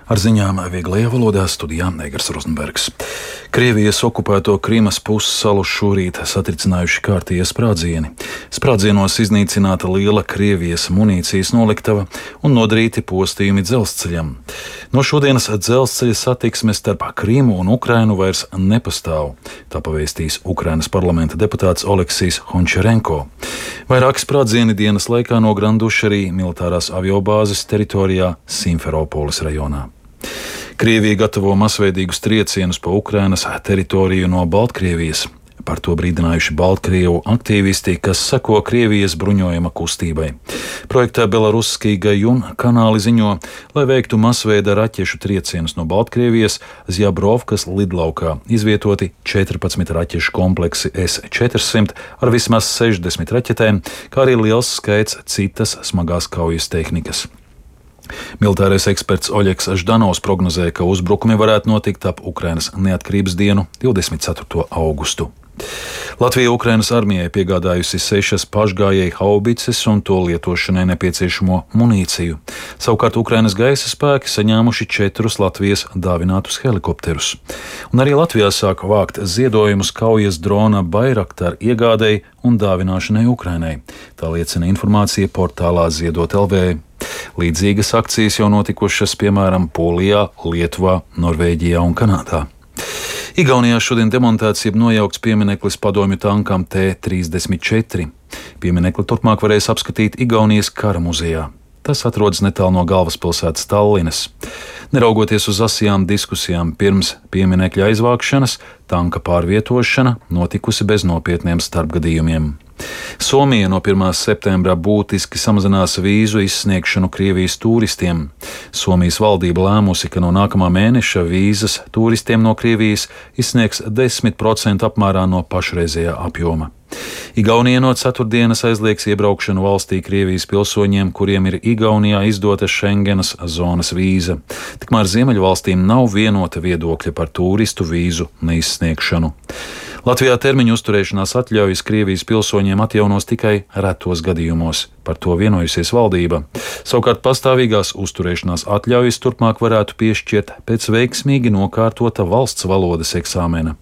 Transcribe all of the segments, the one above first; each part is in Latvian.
Ar ziņām vieglajā valodā studijā Negars Rozenbergs. Krievijas okupēto Krimas pussalu šorīt satricinājuši kārtīgi sprādzieni. Sprādzienos iznīcināta liela Krievijas munīcijas noliktava un nodarīti postījumi dzelzceļam. No šodienas dzelzceļa satiksme starp Krimu un Ukrainu vairs nepastāv, tā pavēstīs Ukrainas parlamenta deputāts Oleksijs Hončarenko. Vairāki sprādzieni dienas laikā nogranduši arī militārās aviobāzes teritorijā Simferopolis rajonā. Krievija gatavo masveidīgus triecienus pa Ukrainas teritoriju no Baltkrievijas. Par to brīdinājuši Baltkrievu aktīvisti, kas seko Krievijas bruņojuma kustībai. Projektā Belaruskij Gajun kanāli ziņo, lai veiktu masveida raķešu triecienus no Baltkrievijas Zjabrovkas lidlaukā izvietoti 14 raķešu kompleksi S-400 ar vismaz 60 raķetēm, kā arī liels skaits citas smagās kaujas tehnikas. Militārais eksperts Oļegs Ždanovs prognozē, ka uzbrukumi varētu notikt ap Ukrainas neatkarības dienu 24. augustu. Latvija Ukrainas armijai piegādājusi 6 pašgājēju haubices un to lietošanai nepieciešamo munīciju. Savukārt Ukrainas gaisa spēki saņēmuši 4 Latvijas dāvinātus helikopterus. Un arī Latvijā sāk vākt ziedojumus kaujas drona Bayraktar iegādēji un dāvināšanai Ukrainai. Tā liecina informācija portālā Ziedot LV. Līdzīgas akcijas jau notikušas, piemēram, Polijā, Lietuvā, Norvēģijā un Kanādā. Igaunijā šodien demontēts jeb nojaukts piemineklis padomju tankam T-34. Pieminekli turpmāk varēs apskatīt Igaunijas kara muzejā. Tas atrodas netālu no galvaspilsētas Tallinas. Neraugoties uz asajām diskusijām pirms pieminekļa aizvākšanas, tanka pārvietošana notikusi bez nopietniem starpgadījumiem. Somija no 1. septembra būtiski samazinās vīzu izsniegšanu Krievijas turistiem. Somijas valdība lēmusi, ka no nākamā mēneša vīzas turistiem no Krievijas izsniegs 10% apmērā no pašreizējā apjoma. Igaunija no ceturtdienas aizliegs iebraukšanu valstī Krievijas pilsoņiem, kuriem ir Igaunijā izdota Schengenas zonas vīza. Tikmēr Ziemeļvalstīm nav vienota viedokļa par turistu vīzu neizsniegšanu. Latvijā termiņu uzturēšanās atļaujas Krievijas pilsoņiem atjaunos tikai retos gadījumos. Par to vienojusies valdība. Savukārt pastāvīgās uzturēšanās atļaujas turpmāk varētu piešķirt pēc veiksmīgi nokārtota valsts valodas eksāmena.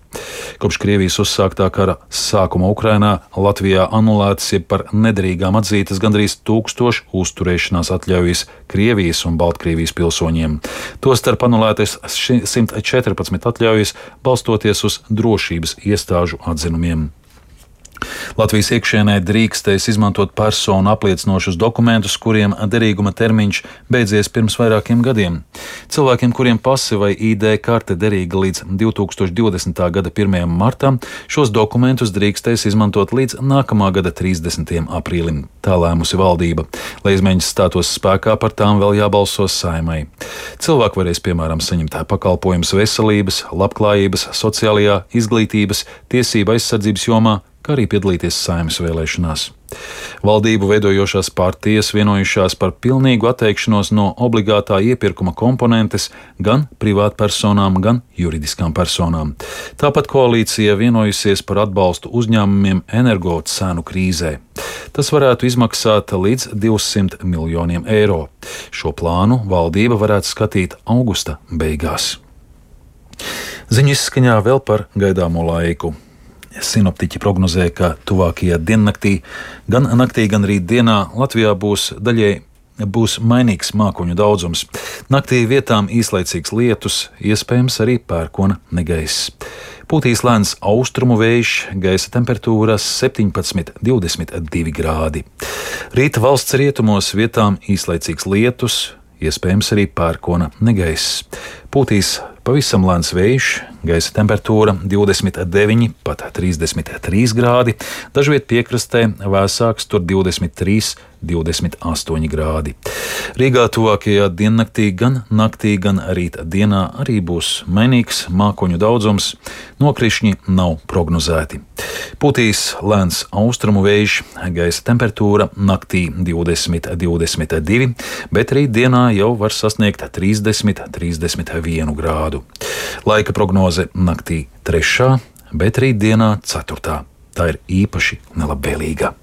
Kopš Krievijas uzsāktā kara sākuma Ukrainā Latvijā anulētas jeb par nederīgām atzītas gandrīz 1000 uzturēšanās atļaujas Krievijas un Baltkrievijas pilsoņiem. Tostarp anulētas 114 atļaujas balstoties uz drošības iestāžu atzinumiem. Latvijas iekšienē drīkstēs izmantot personu apliecinošus dokumentus, kuriem derīguma termiņš beidzies pirms vairākiem gadiem. Cilvēkiem, kuriem pase vai ID karte derīga līdz 2020. gada 1. martam, šos dokumentus drīkstēs izmantot līdz nākamā gada 30. aprīlim. Tā lēmusi valdība. Lai izmaiņas stātos spēkā, par tām vēl jābalso Saeimai. Cilvēki varēs, piemēram, saņemt pakalpojumus veselības, labklājības, sociālajā, izglītības, tiesība aizsardzības jomā, kā arī piedalīties Saeimas vēlēšanās. Valdību veidojošās partijas vienojušās par pilnīgu atteikšanos no obligātā iepirkuma komponentes gan privātpersonām, gan juridiskām personām. Tāpat koalīcija vienojusies par atbalstu uzņēmumiem energo cenu krīzē. Tas varētu izmaksāt līdz 200 miljoniem eiro. Šo plānu valdība varētu skatīt augusta beigās. Ziņu izskaņā vēl par gaidāmo laiku. Sinoptiķi prognozē, ka tuvākajā diennaktī, gan naktī, gan rītdienā Latvijā būs mainīgs mākoņu daudzums. Naktī vietām īslaicīgs lietus, iespējams arī pērkona negaiss. Pūtīs lēns austrumu vējš, gaisa temperatūra 17–22 grādi. Rīta valsts rietumos vietām īslaicīgs lietus, iespējams arī pērkona negaiss. Pūtīs pavisam lēns vējš, gaisa temperatūra 29, pat 33 grādi, dažviet piekrastē vēsāks, tur 23, 28 grādi. Rīgā tuvākajā diennaktī gan naktī, gan rīta dienā arī būs mainīgs mākoņu daudzums, nokrišņi nav prognozēti. Pūtīs lēns austrumu vējš, gaisa temperatūra naktī 20, 22, bet rītdienā jau var sasniegt 30, 31 grādu. Laika prognoze naktī 3, bet rītdienā 4. Tā ir īpaši nelabvēlīga.